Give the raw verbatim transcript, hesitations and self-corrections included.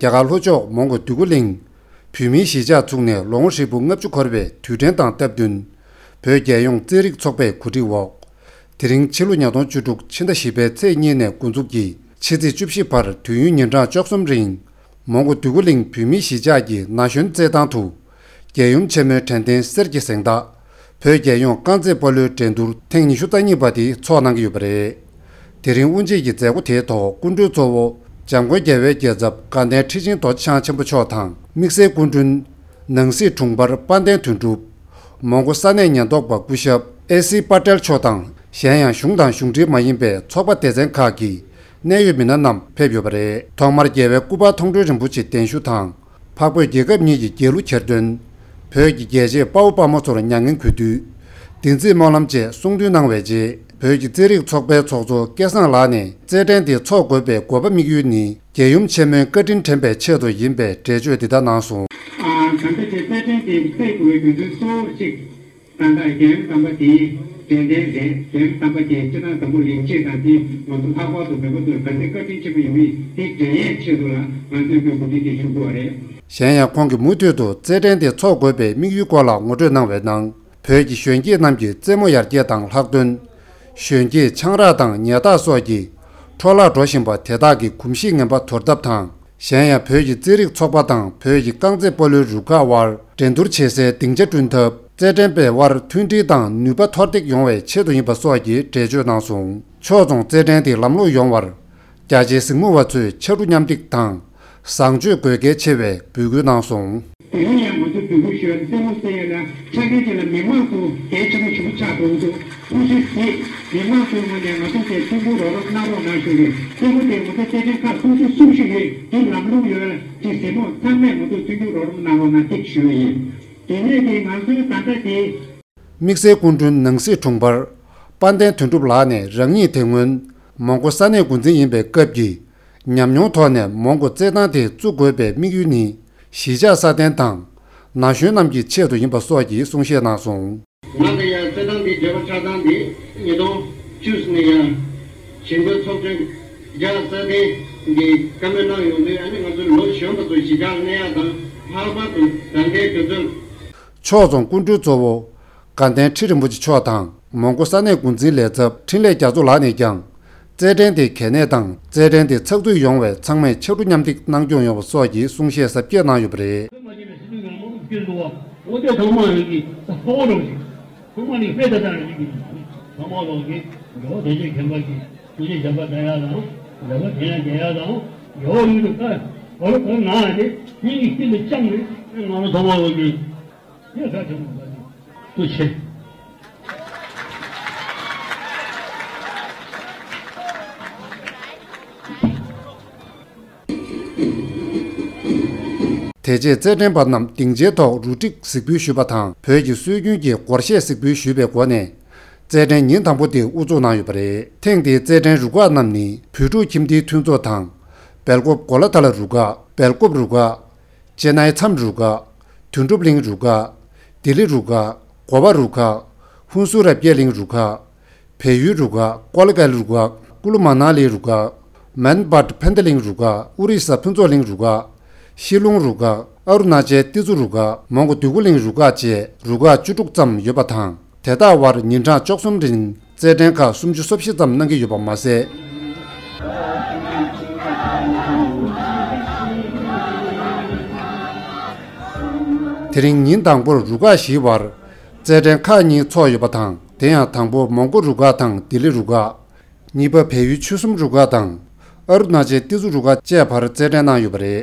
རྒྱ་གར་ལྷོ་ཕྱོགས་མོན་གྷོ་འདོད་རྒུ་གླིང་བོད་མིའི་གཞིས་ཆགས་ཚུགས་ནས་ལོ་ངོ་ཧྲིལ་པོ་ལྔ་བཅུ་འཁོར་བའི་དུས་དྲན་དང་སྟབས་བསྟུན། བོད་རྒྱལ་ཡོངས་རྩེད་རིགས་ཚོགས་པའི་གོ་སྒྲིག་འོག་དེ་རིང་ཕྱི་ལོ་ཉིས་སྟོང་བཅུ་དྲུག་ཕྱི་ཟླ་བཞི་པའི་ཚེས་གཉིས་ནས་འགོ་འཛུགས་ཀྱིས་ཕྱི་ཚེས་བཅུ་བཞི་བར་དུས་ཡུན་ཉིན་གྲངས་བཅུ་གསུམ་རིང་། མོན་གྷོ་འདོད་རྒུ་གླིང་བོད་མིའི་གཞིས་ཆགས་ཀྱི་ན་གཞོན་རྩེད་ཐང་དུ། རྒྱལ་ཡུམ་ཆེན་མོའི་དྲན་རྟེན་གསེར་གྱི་གཟེངས་རྟགས། བོད་རྒྱལ་ཡོངས་རྐང་རྩེད་སྤོ་ལོའི་འགྲན་བསྡུར་ཐེངས་ཉི་ཤུ་རྩ་གཉིས་པ་དེ་འཚོགས་གནང་གི་ཡོད་པ་རེད། དེ་རིང་དབུ་འབྱེད་ཀྱི་མཛད་སྒོ་དེའི་ཐོག་སྐུ་མགྲོན་གཙོ་བོ་འཇམ་མགོན་རྒྱལ་བའི་རྒྱལ་ཚབ་དགའ་ལྡན་ཁྲི་ཆེན་རྡོ་རྗེ་འཆང་ཆེན་པོ་མཆོག་དང་། དམིགས་བསལ་སྐུ་མགྲོན་ནང་སྲིད་དྲུང་འཕར་དཔལ་ལྡན་དོན་གྲུབ། མོན་གྷོ་ས་གནས་ཉེན་རྟོག་པ་སྐུ་ཞབས་ཨེ་སི་པ་ཏེལ་མཆོག་དང་། གཞན་ཡང་གཞུང་དང་གཞུང་འབྲེལ་མ་ཡིན་པའི་ཚོགས་པ་སྡེ་ཚན་ཁག་གི་གནད་ཡོད་མི་སྣ་རྣམས་ཕེབས་ཡོད་པ་རེད། ཐོག་མར་རྒྱལ་བའི་སྐུ་པར་མཐོང་གྲོལ་རིན་པོ་ཆེ་གདན་ཞུ་དང་། འཕགས་བོད་རྒྱལ་ཁབ་གཉིས་ཀྱི་རྒྱལ་གླུ་གྱེར་འདོན། བོད་ཀྱི་རྒྱལ་གཅེས་དཔའ་བོ་དཔའ་མོ་ཚོར་མྱ་ངན་གུས་འདུད། བདེན་ཚིག་སྨོན་ལམ་བཅས་གསུང་འདོན་གནང་བའི་རྗེས། བོད་ཀྱི་རྩེད་རིགས་ཚོགས་པའི་ཚོགས་གཙོ་སྐལ་བཟང་ལགས་ནས་རྩེད་འགྲན་དེ་འཚོགས་དགོས་པའི་དགོས་པ་དམིགས་ཡུལ་ནི། རྒྱལ་ཡུམ་ཆེན་མོའི་བཀའ་དྲིན་དྲན་པའི་ཆེད་དུ་ཡིན་པའི་འགྲེལ་བརྗོད་འདི་ལྟར་གནང་སོང་། ཨ། ད་ལྟ་དེ་རྩེད་འགྲན་དེ་རྩེད་དགོས་པའི་རྒྱུ་མཚན་གཙོ་བོ་གཅིག་ད་ལྟ་རྒྱལ་ཡུམ་དམ་པ་དེའི་དྲན་རྟེན་རེད། རྒྱལ་ཡུམ་དམ་པ་དེ་སྤྱིར་བཏང་འཛམ་བུ་གླིང་སྤྱི་དང་དེ་ང་ཚོ་ལྷག་པར་དུ་བོད་པ་ཚོར་ག་ཚོད་བཀའ་དྲིན་ཆེན་པོ་ཡོད་མེད་དེ་འགྲེལ་ཡས་ཆེད་དུ་ལ་ང་ཚོས་ཀྱི་གོ་སྒྲིག་དེ་ཞུ་དགོས་པ་རེད། གཞན་ཡང་ཁོང་གིས་མུ་མཐུད་དུ་རྩེད་འགྲན་དེ་འཚོགས་དགོས་པའི་དམིགས་ཡུལ་སྐོར་ལ་ངོ་སྤྲོད་གནང་བའི་ནང་། བོད་ཀྱི་གཞོན་སྐྱེས་རྣམས་ཀྱི་རྩེད་མོ་ཡར་རྒྱས་དང་ལྷག་དོན། གཞོན་སྐྱེས་ཆང་རག་དང་ཉལ་ཐག་སོགས་ཀྱི་འཕྲོ་བརླག་འགྲོ་བཞིན་པ་དེ་དག་གི་གོམས་གཤིས་ངན་པ་དོར་ཐབས་དང་། གཞན་ཡང་བོད་ཀྱི་རྩེད་རིགས་ཚོགས་པ་དང་བོད་ཀྱི་རྐང་རྩེད་སྤོ་ལོའི་རུ་ཁག་དབར་འགྲན་བསྡུར་བྱེད་སའི་སྡིངས་ཆ་བསྐྲུན་ཐབས། རྩེད་འགྲན་པའི་དབར་མཐུན་སྒྲིལ་དང་ནུས་པ་མཐོར་འདེགས་ཡོང་བའི་ཆེད་དུ་ཡིན་པ་སོགས་ཀྱི་འགྲེལ་བརྗོད་གནང་སོང་། ཕྱོགས་མཚུངས་རྩེད་འགྲན་དེ་ལམ་ལྷོང་ཡོང་བར། རྒྱ་ཆེའི་གཟིགས་མོ་བ་ཚོས་ཕྱར་གྲུ་མཉམ་འདེགས་དང་། བཟང་སྤྱོད་དགོས་གལ་ཆེ་བའི་འབོད་སྐུལ་གནང་སོང་། དེ་ཡང་ང་ཚོས་འབོད་སྐུལ་ཞུ་བ་ནི་རྩེད་མོ་རྩེ་ཡས་ལ་ཆ་རྐྱེན་ཅན་ལ་མི་མང་ཚོ་གལ་ཆེན་པོ་ཞིག་ཆགས་འགྲོ་འདུག་ཐུགས་རྗེ་གཟིགས། མི་མང་ཚོའི་ངོས་ནས་ང་ཚོ་དེ་ཐུགས་ཁུར་རོགས་རམ་གནང་རོགས་གནང་ཞུ་རེད། རྩེད་མོ་དེ་ང་ཚོ་རྩེད་འགྲན་ཁག་སོ་སོ་གསུམ་ཞིག་ཡོད། དེ་ལམ་ལྷོང་ཡོད་ལ་དེ་གཟིགས་མོ་ཚང་མས་ང་ཚོ་མཐུན་འགྱུར་རོགས་རམ་གནང་རོགས་གནང་ཐིག་ཞུ་བ་ཡིན། དེ་ནས་དེ་ང་ཚོའི་ད་ལྟ་དེ། དམིགས་བསལ་སྐུ་མགྲོན་ནང་སྲིད་དྲུང་འཕར་དཔལ་ལྡན་དོན་གྲུབ་ལགས་ནས་རང་ཉིད་དེ་སྔོན་མོན་གྷོ་ས་གནས་འགོ་འཛིན་ཡིན་པའི་སྐབས་ཀྱི་ཉམས་མྱོང་ཐོག་ནས་མོན་གྷོ་རྩེད་ཐང་དེ་བཙུགས་དགོས་པའི་དམིགས་ཡུལ་ནི་གཞིས་ཆགས་སྲ་བརྟན་དང་ན་གཞོན་རྣམས་ཀྱི་ཆེད་དུ་ཡིན་པ་སོགས་ཀྱི་གསུང་བཤད་གནང་སོང་། ང་དང་ཡང་རྩེད་ཐང་འདི་བགྲེས་པ་ཆགས་སྟངས་འདི་ཉིས་སྟོང་བཅུ་ནས་ཡང་གཞིས་འགོའི་ཚོགས་ཆུང་རྒྱ་སྲ་བརྟན་གྱིས་བཀའ་མོལ་གནང་ཡོང་དུས་ཨ་ནི་ང་ཚོ་ལོ་གཞོན་པ་ཚོ་གཞིས་ཆགས་གནས་ཡག་དང་ལྷག་པར་དུ་ད་ལྟའི་དུས་ཚོད། ཕྱོགས་མཚུངས་སྐུ་མགྲོན་གཙོ་བོ་དགའ་ལྡན་ཁྲི་རིན་པོ་ཆེ་མཆོག་དང་མོན་གྷོ་ས་གནས་འགོ་འཛིན་ལས་ཚབ་འཕྲིན་ལས་རྒྱ་མཚོ་ལགས་ནས་ཀྱང་རྩེད་འགྲན་དེ་གལ་གནད་དང་རྩེད་འགྲན་དེ་ཚགས་ཚུད་ཡོང་བའི་ཚང་མས་ཕྱར་གྲུ་མཉམ་འདེགས་གནང་སྐྱོང་ཡོང་བ་སོགས་ཀྱི་གསུང་བཤད་གཟབ་རྒྱས་གནང་ཡོད་པ་རེད། ཐུགས་རྗེ་ཆེ། དེ་རྗེས་རྩེད་འགྲན་པ་རྣམས་སྡིངས་ཆའི་ཐོག་རུ་སྒྲིག་གཟིགས་འབུལ་ཞུས་པ་དང་བོད་ཀྱི་སྲོལ་རྒྱུན་གྱི་སྒོར་གཞས་གཟིགས་འབུལ་ཞུས་པའི་སྒོ་ནས་རྩེད་འགྲན་ཉིན་དང་པོ་དེ་དབུ་འཛུགས་གནང་ཡོད་པ་རེད། ཐེངས་འདིའི་རྩེད་འགྲན་རུ་ཁག་རྣམས་ནི་བོད་ཕྲུག་ཁྱིམ་སྡེའི་མཐུན་ཚོགས་དང་སྦེལ་ཀོབ་གོ་ལ་ཐ་ལ་རུ་ཁག་སྦེལ་ཀོབ་རུ་ཁག་ཅེ་ནའི་མཚམས་རུ་ཁག་དོན་གྲུབ་གླིང་རུ་ཁག་ལྡི་ལི་རུ་ཁག་གོ་བ་རུ་ཁག་ཧུན་སུར་རབ་རྒྱས་གླིང་རུ་ཁག་བལ་ཡུལ་རུ་ཁག་ཀོ་ལི་གལ་རུ་ཁག་ཀུ་ལུ་མ་ན་ལི་རུ་ཁག་མན་སྦཱད་ཕན་ཐ་གླིང་རུ་ཁག་ཨོ་རི་ས་ཕུན་ཚོགས་གླིང་རུ་ཁག་ཤི་ལོང་རུ་ཁག་ཨ་རུ་ན་ཅལ་ཏི་ཛུ་རུ་ཁག་མོན་གྷོ་འདོད་རྒུ་གླིང་རུ་ཁག་བཅས་རུ་ཁག་བཅུ་དྲུག་ཙམ་ཡོད་པ་དང་། དེ་དག་དབར་ཉིན་གྲངས་བཅུ་གསུམ་རིང་རྩེད་འགྲན་ཁག་སུམ་ཅུ་སོ་བཞི་ཙམ་གནང་གི་ཡོད་པ་མ་ཟད། དེ་རིང་ཉིན་དང་པོར་རུ་ཁག་བཞིའི་བར་རྩེད་འགྲན་ཁག་གཉིས་འཚོགས་ཡོད་པ་དང་། དེ་ཡང་དང་པོ་མོན་གྷོ་རུ་ཁག་དང་ལྡི་ལི་རུ་ཁག་གཉིས་པ་བལ་ཡུལ་ཆོལ་གསུམ་རུ་ཁག་དང་ཨ་རུ་ན་ཅལ་ཏི་ཛུ་རུ་ཁག་བཅས་བར་རྩེད་འགྲན་གནང་ཡོད་པ་རེད།